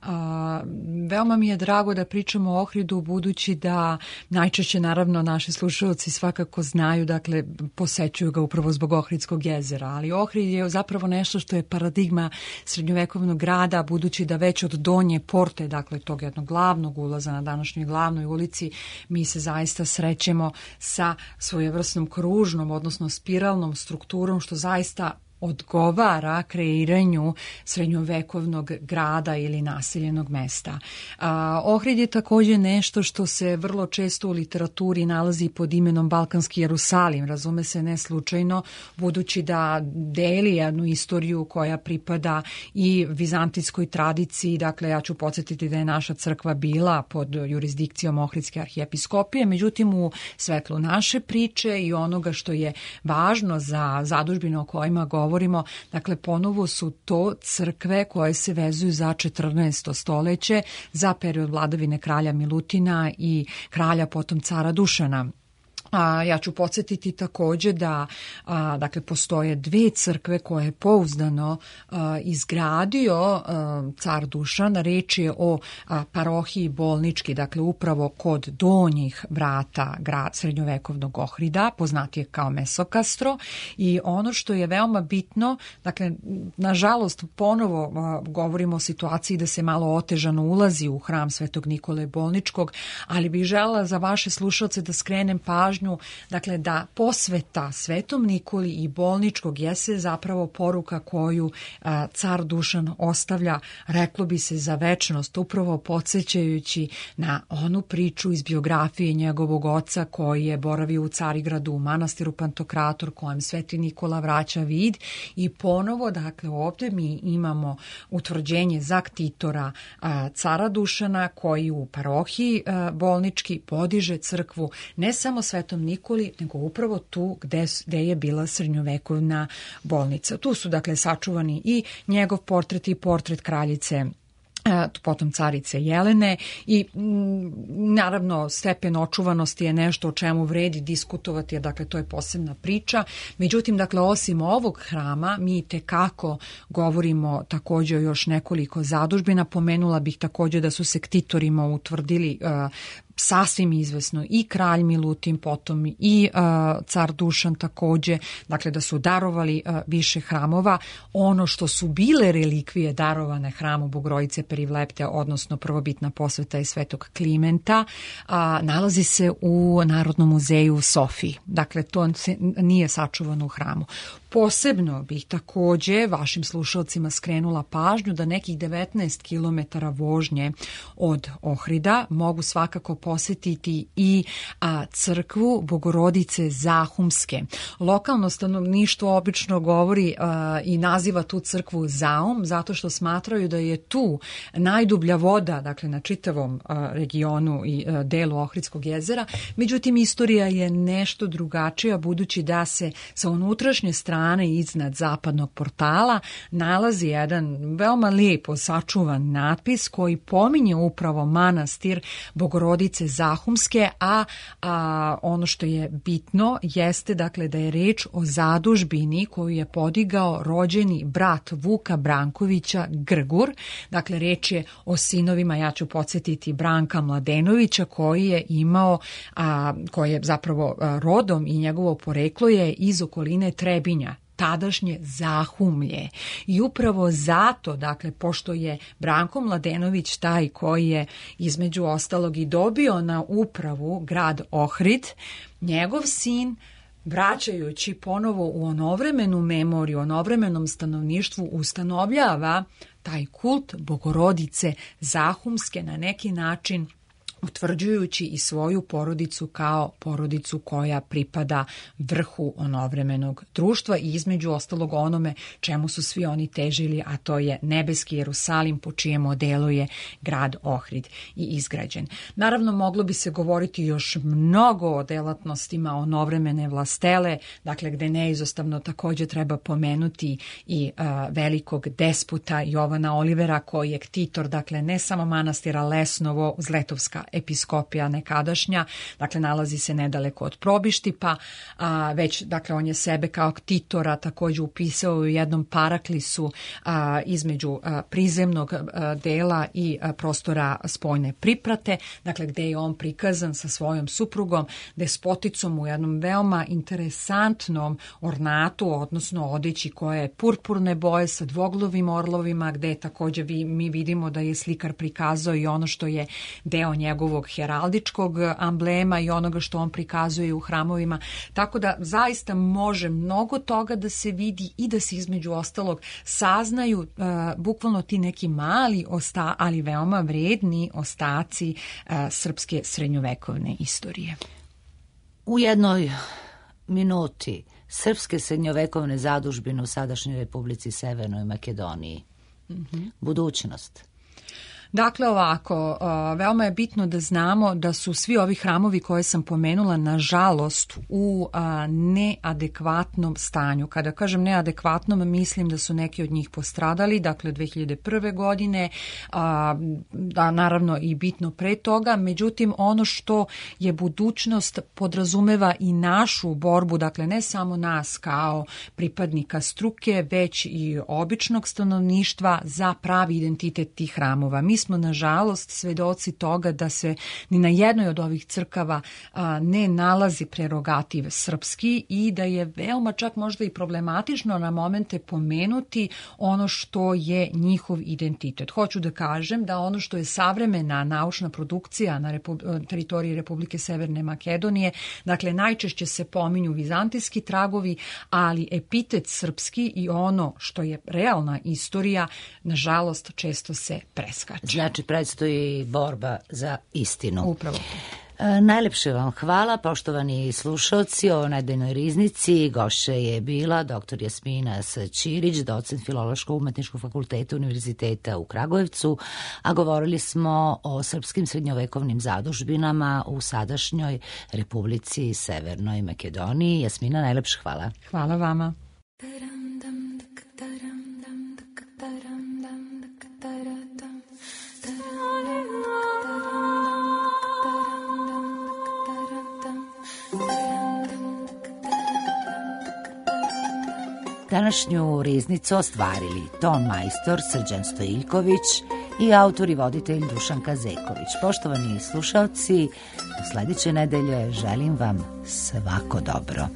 A, veoma mi je drago da pričamo o Ohridu, budući da najčešće naravno naši slušalci svakako znaju, dakle posećuju ga upravo zbog Ohridskog jezera, ali Ohrid je zapravo nešto što je paradigma srednjovekovnog grada, budući da već od Donje Porte, dakle tog jednog glavnog ulaza na današnjoj glavnoj ulici, mi se zaista srećemo sa svojevrsnom kružnom, odnosno spiralnom strukturom, što zaista odgovara kreiranju srednjovekovnog grada ili naseljenog mesta. A, Ohrid je također nešto što se vrlo često u literaturi nalazi pod imenom Balkanski Jerusalim, razume se ne slučajno, budući da deli jednu istoriju koja pripada i vizantijskoj tradiciji. Dakle, ja ću podsjetiti da je naša crkva bila pod jurisdikcijom Ohridske arhijepiskopije, međutim u svetlu naše priče i onoga što je važno za zadužbine o kojima govorimo, govorimo, dakle ponovo su to crkve koje se vezuju za četrnaesto stoljeće, za period vladavine kralja Milutina i kralja potom cara Dušana. A, ja ću podsjetiti također da a, dakle, postoje dve crkve koje je pouzdano a, izgradio a, car Dušan. Reč je o a, parohiji Bolnički, dakle upravo kod donjih vrata grad srednjovekovnog Ohrida, poznatije kao Mesokastro. I ono što je veoma bitno, dakle, nažalost ponovo a, govorimo o situaciji da se malo otežano ulazi u hram Svetog Nikole Bolničkog, ali bih želela za vaše slušalce da skrenem pažnju, dakle da posveta Svetom Nikoli i Bolničkog jeste zapravo poruka koju a, car Dušan ostavlja, reklo bi se, za večnost, upravo podsjećajući na onu priču iz biografije njegovog oca koji je boravio u Carigradu, u manastiru Pantokrator, kojem Sveti Nikola vraća vid. I ponovo, dakle, ovdje mi imamo utvrđenje zaktitora a, cara Dušana, koji u parohiji a, Bolnički podiže crkvu ne samo Svetom Nikoli, nego upravo tu gde, gde je bila srednjovekovna bolnica. Tu su dakle sačuvani i njegov portret i portret kraljice, potom carice Jelene i m, naravno stepen očuvanosti je nešto o čemu vredi diskutovati, jer dakle to je posebna priča. Međutim, dakle osim ovog hrama mi tekako govorimo također o još nekoliko zadužbina. Pomenula bih također da su se ktitorima utvrdili uh, sasvim izvesno i kralj Milutin, potom i uh, car Dušan također, dakle da su darovali uh, više hramova. Ono što su bile relikvije darovane hramu Bogorodice Perivlepte, odnosno prvobitna posveta je Svetog Klimenta, uh, nalazi se u Narodnom muzeju u Sofiji. Dakle, to nije sačuvano u hramu. Posebno bih također vašim slušalcima skrenula pažnju da nekih devetnaest kilometara vožnje od Ohrida mogu svakako posjetiti i a, crkvu Bogorodice Zahumske. Lokalno stanovništvo obično govori a, i naziva tu crkvu Zaum, zato što smatraju da je tu najdublja voda, dakle na čitavom a, regionu i a, delu Ohridskog jezera. Međutim, istorija je nešto drugačija, budući da se sa unutrašnje strane iznad zapadnog portala nalazi jedan veoma lijepo sačuvan natpis koji pominje upravo manastir Bogorodice Zahumske, a, a ono što je bitno jeste dakle da je reč o zadužbini koju je podigao rođeni brat Vuka Brankovića Grgur. Dakle, reč je o sinovima, ja ću podsjetiti, Branka Mladenovića, koji je imao, a, koji je zapravo a, rodom i njegovo poreklo je iz okoline Trebinja. tadašnje Zahumlje. I upravo zato, dakle, pošto je Branko Mladenović taj koji je između ostalog i dobio na upravu grad Ohrid, njegov sin, vraćajući ponovo u onovremenu memoriju, onovremenom stanovništvu, ustanovljava taj kult Bogorodice Zahumske na neki način, utvrđujući i svoju porodicu kao porodicu koja pripada vrhu onovremenog društva i između ostalog onome čemu su svi oni težili, a to je nebeski Jerusalim po čijem modelu je grad Ohrid i izgrađen. Naravno, moglo bi se govoriti još mnogo o delatnostima onovremene vlastele, dakle gde neizostavno također treba pomenuti i a, velikog desputa Jovana Olivera koji je ktitor, dakle ne samo manastira Lesnovo, Zletovska episkopija nekadašnja, dakle nalazi se nedaleko od Probištipa, a, već dakle on je sebe kao ktitora također upisao u jednom paraklisu a, između a, prizemnog a, dela i a, prostora spoljne priprate, dakle gde je on prikazan sa svojom suprugom, despoticom u jednom veoma interesantnom ornatu, odnosno odeći koja je purpurne boje sa dvoglovim orlovima, gde također vi, mi vidimo da je slikar prikazao i ono što je deo njegovog heraldičkog amblema i onoga što on prikazuje u hramovima. Tako da zaista može mnogo toga da se vidi i da se između ostalog saznaju uh, bukvalno ti neki mali, osta, ali veoma vredni ostaci uh, srpske srednjovekovne istorije. U jednoj minuti srpske srednjovekovne zadužbine u sadašnjoj Republici Severnoj Makedoniji. Mm-hmm. Budućnost. Dakle, ovako, veoma je bitno da znamo da su svi ovi hramovi koje sam pomenula, nažalost, u neadekvatnom stanju. Kada kažem neadekvatnom, mislim da su neki od njih postradali, dakle, dve hiljade prve. godine, da naravno i bitno pre toga. Međutim, ono što je budućnost podrazumeva i našu borbu, dakle, ne samo nas kao pripadnika struke, već i običnog stanovništva za pravi identitet tih hramova. Mi smo nažalost svedoci toga da se ni na jednoj od ovih crkava a, ne nalazi prerogativ srpski i da je veoma čak možda i problematično na momente pomenuti ono što je njihov identitet. Hoću da kažem da ono što je savremena naučna produkcija na Repu- teritoriji Republike Severne Makedonije, dakle najčešće se pominju vizantijski tragovi, ali epitet srpski i ono što je realna istorija, nažalost često se preskače. Znači, predstoji borba za istinu. Upravo. E, najlepše vam hvala, poštovani slušalci, o nedeljnoj riznici. Gošća je bila doktor Jasmina S. Ćirić, docent Filološko-umetničkog fakulteta Univerziteta u Kragujevcu, a govorili smo o srpskim srednjovekovnim zadužbinama u sadašnjoj Republici Severnoj Makedoniji. Jasmina, najlepše hvala. Hvala vama. Današnju riznicu ostvarili ton majstor Srđan Stojiljković i autor i voditelj Dušanka Zeković. Poštovani slušalci, do sledeće nedelje želim vam svako dobro.